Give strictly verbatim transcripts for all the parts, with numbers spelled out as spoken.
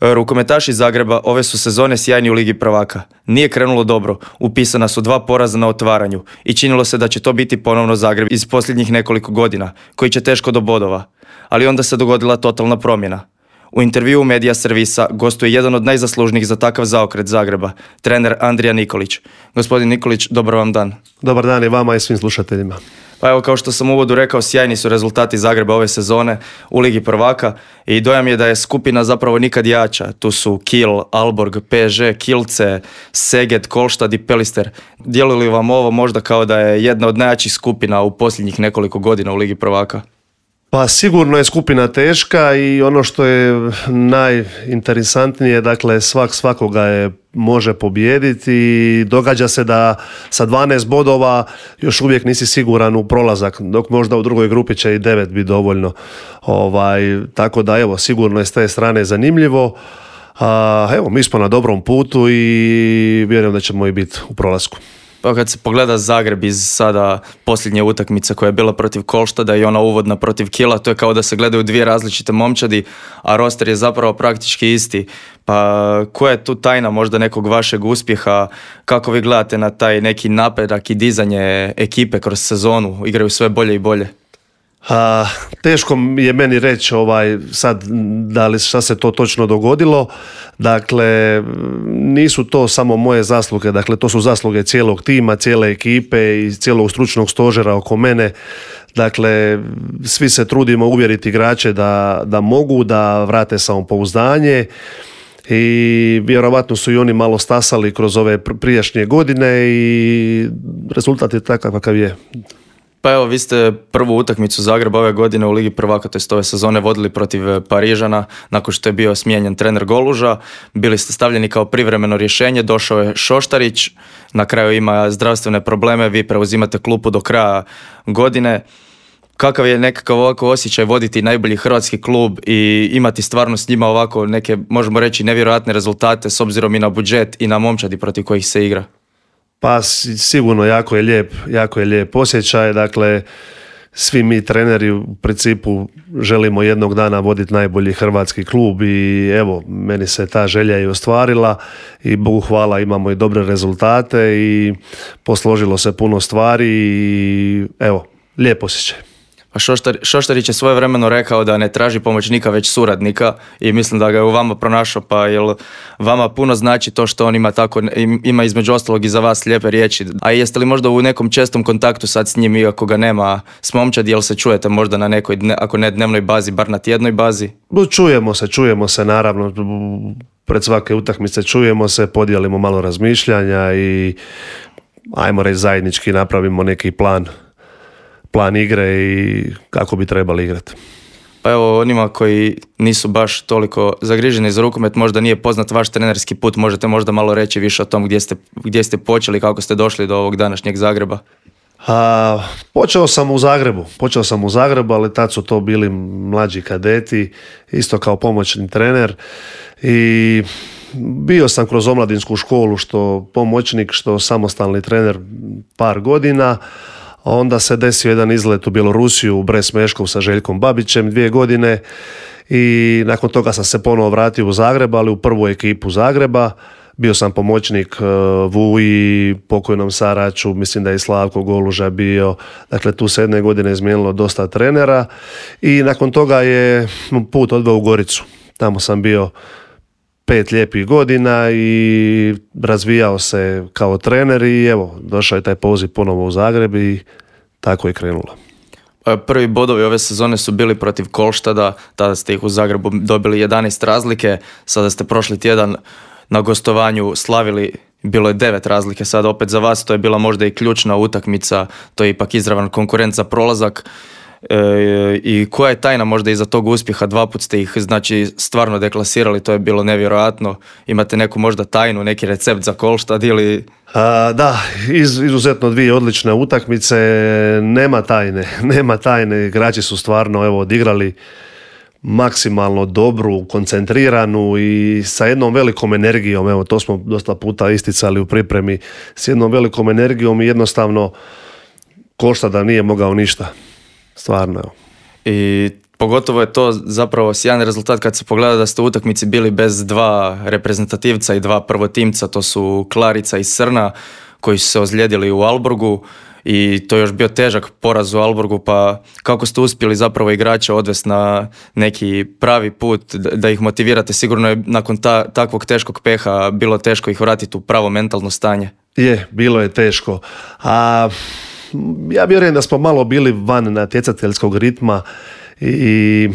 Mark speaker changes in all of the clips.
Speaker 1: Rukometaši Zagreba ove su sezone sjajni u Ligi prvaka. Nije krenulo dobro, upisana su dva poraza na otvaranju i činilo se da će to biti ponovno Zagreb iz posljednjih nekoliko godina, koji će teško do bodova. Ali onda se dogodila totalna promjena. U intervjuu Medija servisa gostuje jedan od najzaslužnijih za takav zaokret Zagreba, trener Andrija Nikolić. Gospodin Nikolić, dobar vam dan.
Speaker 2: Dobar dan i vama i svim slušateljima.
Speaker 1: Pa evo, kao što sam u uvodu rekao, sjajni su rezultati Zagreba ove sezone u Ligi prvaka i dojam je da je skupina zapravo nikad jača. Tu su Kiel, Aalborg, P S G, Kielce, Szeged, Kolštad i Pelister. Djeluje li vam ovo možda kao da je jedna od najjačih skupina u posljednjih nekoliko godina u Ligi prvaka?
Speaker 2: Pa sigurno je skupina teška i ono što je najinteresantnije, dakle svak svakoga je može pobijediti i događa se da sa dvanaest bodova još uvijek nisi siguran u prolazak, dok možda u drugoj grupi će i devet biti dovoljno. Ovaj, tako da evo, sigurno je s te strane zanimljivo. A, evo, mi smo na dobrom putu i vjerujem da ćemo i biti u prolasku.
Speaker 1: Pa kad se pogleda Zagreb iz sada posljednje utakmice koja je bila protiv Kolštada i ona uvodna protiv Kiela, to je kao da se gledaju dvije različite momčadi, a roster je zapravo praktički isti. Pa koja je tu tajna možda nekog vašeg uspjeha? Kako vi gledate na taj neki napredak i dizanje ekipe kroz sezonu? Igraju sve bolje i bolje.
Speaker 2: A, teško je meni reći ovaj, sad da li šta se to točno dogodilo. Dakle, nisu to samo moje zasluge, dakle to su zasluge cijelog tima, cijele ekipe i cijelog stručnog stožera oko mene. Dakle, svi se trudimo uvjeriti igrače da, da mogu, da vrate samopouzdanje i vjerovatno su i oni malo stasali kroz ove prijašnje godine i rezultat je takav kakav je.
Speaker 1: Pa evo, vi ste prvu utakmicu Zagreba ove godine u Ligi prvaka, to jest ove sezone, vodili protiv Parižana nakon što je bio smijenjen trener Goluža. Bili ste stavljeni kao privremeno rješenje, došao je Šoštarić, na kraju ima zdravstvene probleme, vi preuzimate klupu do kraja godine. Kakav je nekakav ovako osjećaj voditi najbolji hrvatski klub i imati stvarno s njima ovako neke, možemo reći, nevjerojatne rezultate s obzirom i na budžet i na momčadi protiv kojih se igra?
Speaker 2: Pa sigurno jako je lijep, jako je lijep osjećaj, dakle svi mi treneri u principu želimo jednog dana voditi najbolji hrvatski klub i evo, meni se ta želja i ostvarila i Bogu hvala imamo i dobre rezultate i posložilo se puno stvari i evo, lijep osjećaj.
Speaker 1: Šoštar, Šoštarić je svojevremeno rekao da ne traži pomoćnika već suradnika i mislim da ga je u vama pronašao, pa jel vama puno znači to što on ima tako, ima između ostalog i za vas lijepe riječi, a jeste li možda u nekom čestom kontaktu sad s njim iako ga nema s momčadi, jel se čujete možda na nekoj, ako ne dnevnoj bazi, bar na tjednoj bazi?
Speaker 2: Čujemo se, čujemo se naravno, pred svake utakmice čujemo se, podijelimo malo razmišljanja i ajmo reći zajednički napravimo neki plan plan igre i kako bi trebali igrati.
Speaker 1: Pa evo, onima koji nisu baš toliko zagriženi za rukomet, možda nije poznat vaš trenerski put, možete možda malo reći više o tom gdje ste, gdje ste počeli, kako ste došli do ovog današnjeg Zagreba?
Speaker 2: A, počeo sam u Zagrebu, počeo sam u Zagrebu, ali tad su to bili mlađi kadeti, isto kao pomoćni trener i bio sam kroz omladinsku školu, što pomoćnik, što samostalni trener par godina. Onda se desio jedan izlet u Bjelorusiju, u Brest Meškov sa Željkom Babićem dvije godine i nakon toga sam se ponovo vratio u Zagreb, ali u prvu ekipu Zagreba. Bio sam pomoćnik Vuji, pokojnom Saraču, mislim da je i Slavko Goluža bio. Dakle, tu se jedne godine izmijenilo dosta trenera i nakon toga je put odveo u Goricu. Tamo sam bio pet lijepih godina i razvijao se kao trener i evo, došao je taj poziv ponovo u Zagreb i tako je krenulo.
Speaker 1: Prvi bodovi ove sezone su bili protiv Kolštada, tada ste ih u Zagrebu dobili jedanaest razlike, sada ste prošli tjedan na gostovanju slavili, bilo je devet razlike, sad opet za vas, to je bila možda i ključna utakmica, to je ipak izravan konkurent za prolazak. E, i koja je tajna možda iza tog uspjeha? Dva put ste ih znači stvarno deklasirali, to je bilo nevjerojatno. Imate neku možda tajnu, neki recept za Kolštad ili...
Speaker 2: A, da, iz, izuzetno dvije odlične utakmice, nema tajne, nema tajne, igrači su stvarno evo odigrali maksimalno dobru, koncentriranu i sa jednom velikom energijom, evo to smo dosta puta isticali u pripremi, s jednom velikom energijom i jednostavno Kolštada nije mogao ništa. Stvarno.
Speaker 1: I Pogotovo je to zapravo sjajan rezultat kad se pogleda da ste u utakmici bili bez dva reprezentativca i dva prvotimca, to su Klarica i Srna koji su se ozlijedili u Aalborgu i to je još bio težak poraz u Aalborgu, pa kako ste uspjeli zapravo igrače odvesti na neki pravi put, da ih motivirate? Sigurno je nakon ta, takvog teškog peha bilo teško ih vratiti u pravo mentalno stanje.
Speaker 2: Je, bilo je teško. A ja vjerujem da smo malo bili van natjecateljskog ritma i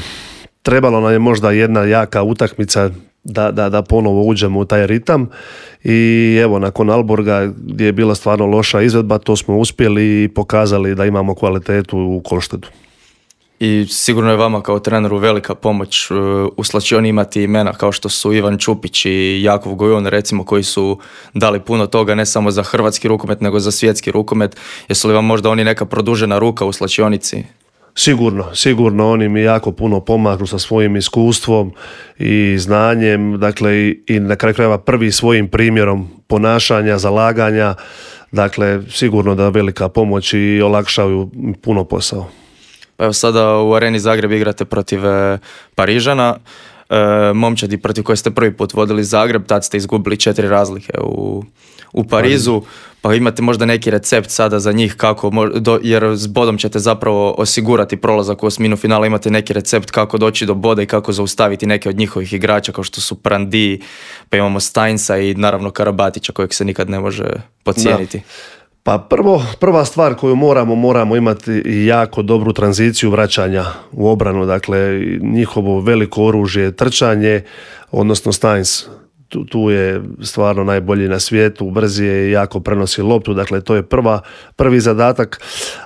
Speaker 2: trebalo nam je možda jedna jaka utakmica da, da, da ponovo uđemo u taj ritam i evo nakon Aalborga gdje je bila stvarno loša izvedba, to smo uspjeli i pokazali da imamo kvalitetu u Kolštedu.
Speaker 1: I sigurno je vama kao treneru velika pomoć u slačioni imati imena kao što su Ivan Čupić i Jakov Gojon, recimo, koji su dali puno toga ne samo za hrvatski rukomet nego za svjetski rukomet. Jesu li vam možda oni neka produžena ruka u slačionici?
Speaker 2: Sigurno, sigurno oni mi jako puno pomažu sa svojim iskustvom i znanjem, dakle i, i na kraju krajeva prvi svojim primjerom ponašanja, zalaganja, dakle sigurno da velika pomoć i olakšaju puno posao.
Speaker 1: Pa evo sada u Areni Zagreb igrate protiv e, Parižana, e, momčadi protiv koje ste prvi put vodili Zagreb, tad ste izgubili četiri razlike u, u Parizu, pa imate možda neki recept sada za njih kako, do, jer s bodom ćete zapravo osigurati prolazak u osminu finala, imate neki recept kako doći do boda i kako zaustaviti neke od njihovih igrača kao što su Prandi, pa imamo Steinsa i naravno Karabatića kojeg se nikad ne može podcijeniti. Da.
Speaker 2: Pa prvo, prva stvar koju moramo, moramo imati jako dobru tranziciju vraćanja u obranu, dakle njihovo veliko oružje je trčanje, odnosno Steins tu, tu je stvarno najbolji na svijetu, brzi je i jako prenosi loptu, dakle to je prva, prvi zadatak,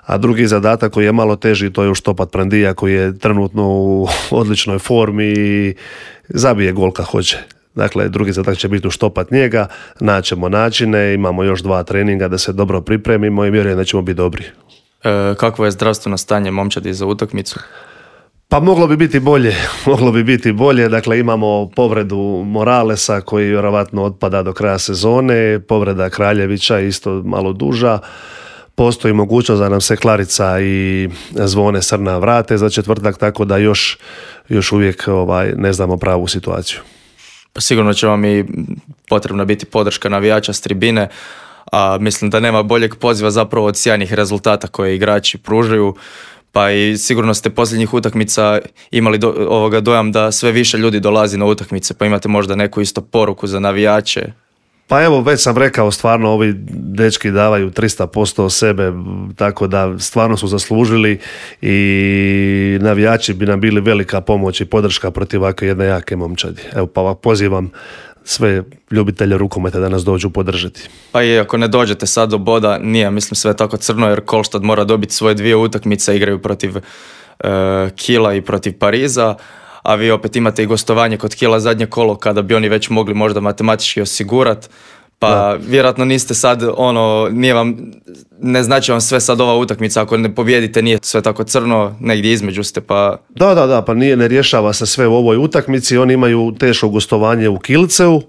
Speaker 2: a drugi zadatak koji je malo teži, to je uštopat Prandija koji je trenutno u odličnoj formi i zabije gol kad hoće. Dakle, drugi zadatak će biti uštopat njega, naćemo načine, imamo još dva treninga da se dobro pripremimo i vjerujem da ćemo biti dobri.
Speaker 1: E, kakvo je zdravstveno stanje momčadi za utakmicu?
Speaker 2: Pa moglo bi biti bolje, moglo bi biti bolje, dakle imamo povredu Moralesa koji vjerovatno otpada do kraja sezone, povreda Kraljevića isto malo duža, postoji mogućnost da nam se Klarica i Zvone Srna vrate za četvrtak, tako da još, još uvijek ovaj, ne znamo pravu situaciju.
Speaker 1: Sigurno će vam i potrebna biti podrška navijača s tribine, a mislim da nema boljeg poziva zapravo od sjajnih rezultata koje igrači pružaju, pa i sigurno ste posljednjih utakmica imali do, ovoga dojam da sve više ljudi dolazi na utakmice, pa imate možda neku isto poruku za navijače.
Speaker 2: Pa evo, već sam rekao, stvarno ovi dečki davaju tristo posto sebe, tako da stvarno su zaslužili i navijači bi nam bili velika pomoć i podrška protiv ovakve jedne jake momčadi. Evo, pa pozivam sve ljubitelje rukometa da nas dođu podržati. Pa
Speaker 1: i ako ne dođete sad do boda, nije, mislim, sve tako crno, jer Kolštad mora dobiti svoje dvije utakmice, igraju protiv uh, Kila i protiv Pariza, a vi opet imate i gostovanje kod Kila zadnje kolo kada bi oni već mogli možda matematički osigurati, pa da. Vjerojatno niste sad ono, nije vam, ne znači vam sve sad ova utakmica, ako ne pobijedite nije sve tako crno, negdje između ste, pa...
Speaker 2: Da, da, da, pa nije, ne rješava se sve u ovoj utakmici, oni imaju teško gostovanje u Kilceu,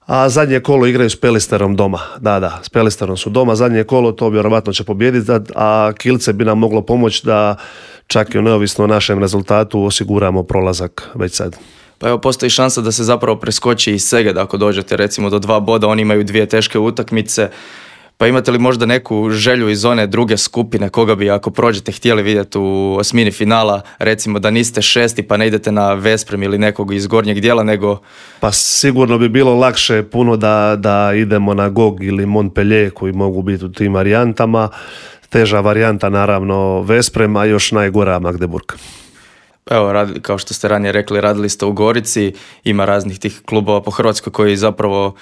Speaker 2: a zadnje kolo igraju s Pelisterom doma. Da, da, s Pelisterom su doma, zadnje kolo to vjerovatno će pobijediti, a Kilce bi nam moglo pomoći da čak i neovisno o našem rezultatu osiguramo prolazak već sad.
Speaker 1: Pa evo, postoji šansa da se zapravo preskoči i Seged ako dođete recimo do dva boda, oni imaju dvije teške utakmice, pa imate li možda neku želju iz one druge skupine, koga bi ako prođete htjeli vidjeti u osmini finala, recimo da niste šesti pa ne idete na Vesprem ili nekog iz gornjeg dijela, nego...
Speaker 2: Pa sigurno bi bilo lakše puno da, da idemo na Gog ili Montpellier koji mogu biti u tim varijantama, teža varijanta naravno Vesprem, a još najgora Magdeburg.
Speaker 1: Evo, rad, kao što ste ranije rekli, radili ste u Gorici, ima raznih tih klubova po Hrvatskoj koji zapravo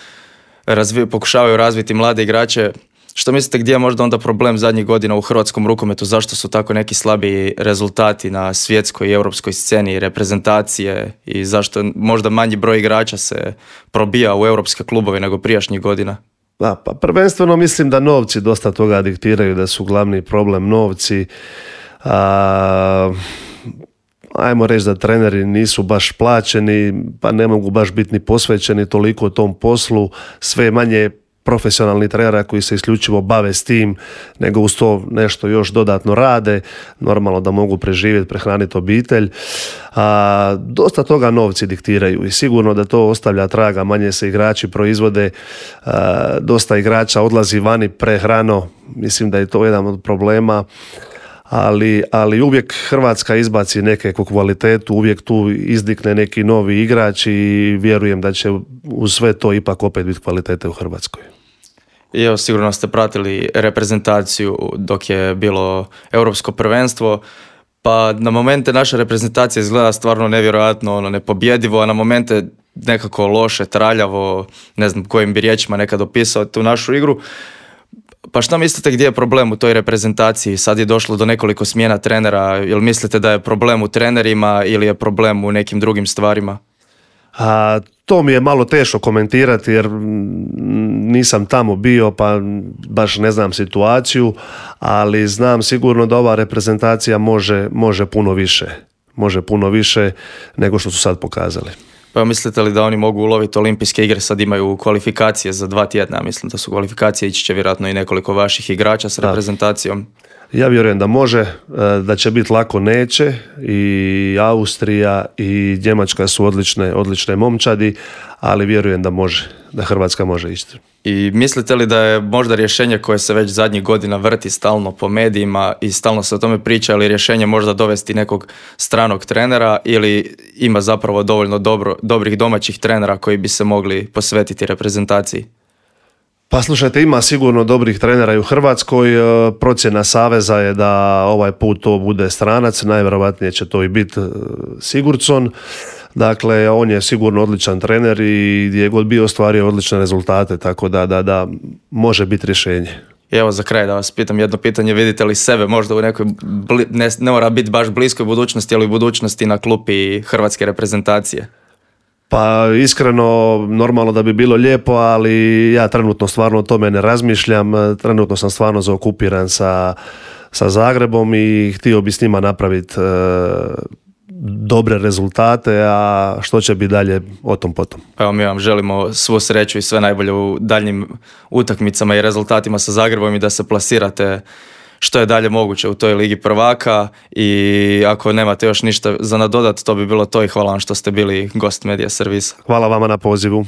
Speaker 1: razvi, pokušavaju razviti mlade igrače. Što mislite, gdje je možda onda problem zadnjih godina u hrvatskom rukometu? Zašto su tako neki slabiji rezultati na svjetskoj i europskoj sceni, reprezentacije, i zašto možda manji broj igrača se probija u europske klubove nego prijašnjih godina?
Speaker 2: Da, pa prvenstveno mislim da novci dosta toga diktiraju, da su glavni problem novci. A, ajmo reći da treneri nisu baš plaćeni, pa ne mogu baš biti ni posvećeni toliko tom poslu, sve manje profesionalnih trenera koji se isključivo bave s tim, nego uz to nešto još dodatno rade, normalno da mogu preživjeti, prehraniti obitelj. A, dosta toga novci diktiraju i sigurno da to ostavlja traga, manje se igrači proizvode, a, dosta igrača odlazi vani prehrano, mislim da je to jedan od problema. Ali, ali uvijek Hrvatska izbaci neku kvalitetu, uvijek tu izdikne neki novi igrač i vjerujem da će uz sve to ipak opet biti kvalitete u Hrvatskoj.
Speaker 1: I evo, sigurno ste pratili reprezentaciju dok je bilo europsko prvenstvo, pa na momente naša reprezentacija izgleda stvarno nevjerojatno, ono, nepobjedivo, a na momente nekako loše, traljavo, ne znam kojim bi riječima nekad opisao tu našu igru. Pa šta mislite gdje je problem u toj reprezentaciji? Sad je došlo do nekoliko smjena trenera. Jel mislite da je problem u trenerima ili je problem u nekim drugim stvarima?
Speaker 2: A, to mi je malo teško komentirati jer nisam tamo bio pa baš ne znam situaciju, ali znam sigurno da ova reprezentacija može, može puno više. Može puno više nego što su sad pokazali.
Speaker 1: Pa mislite li da oni mogu uloviti olimpijske igre? Sad imaju kvalifikacije za dva tjedna, mislim da su kvalifikacije, ići će vjerojatno i nekoliko vaših igrača s reprezentacijom.
Speaker 2: Ja vjerujem da može, da će biti lako neće, i Austrija i Njemačka su odlične, odlične momčadi, ali vjerujem da može, da Hrvatska može ići.
Speaker 1: I mislite li da je možda rješenje koje se već zadnjih godina vrti stalno po medijima i stalno se o tome priča, ali rješenje možda dovesti nekog stranog trenera ili ima zapravo dovoljno dobro, dobrih domaćih trenera koji bi se mogli posvetiti reprezentaciji?
Speaker 2: Pa slušajte, ima sigurno dobrih trenera i u Hrvatskoj. Procjena Saveza je da ovaj put to bude stranac, najvjerojatnije će to i biti Sigurdsson. Dakle, on je sigurno odličan trener i gdje je god bio ostvario odlične rezultate, tako da, da, da može biti rješenje.
Speaker 1: I evo za kraj da vas pitam jedno pitanje, vidite li sebe možda u nekoj, bli, ne, ne mora biti baš bliskoj budućnosti, ali u budućnosti na klupi hrvatske reprezentacije?
Speaker 2: Pa iskreno, normalno da bi bilo lijepo, ali ja trenutno stvarno o tome ne razmišljam. Trenutno sam stvarno zaokupiran sa, sa Zagrebom i htio bi s njima napraviti e, dobre rezultate, a što će biti dalje, o tom potom.
Speaker 1: Evo, mi vam želimo svu sreću i sve najbolje u daljnjim utakmicama i rezultatima sa Zagrebom i da se plasirate što je dalje moguće u toj Ligi prvaka, i ako nemate još ništa za nadodat, to bi bilo to i hvala vam što ste bili gost Medija servisa.
Speaker 2: Hvala vama na pozivu.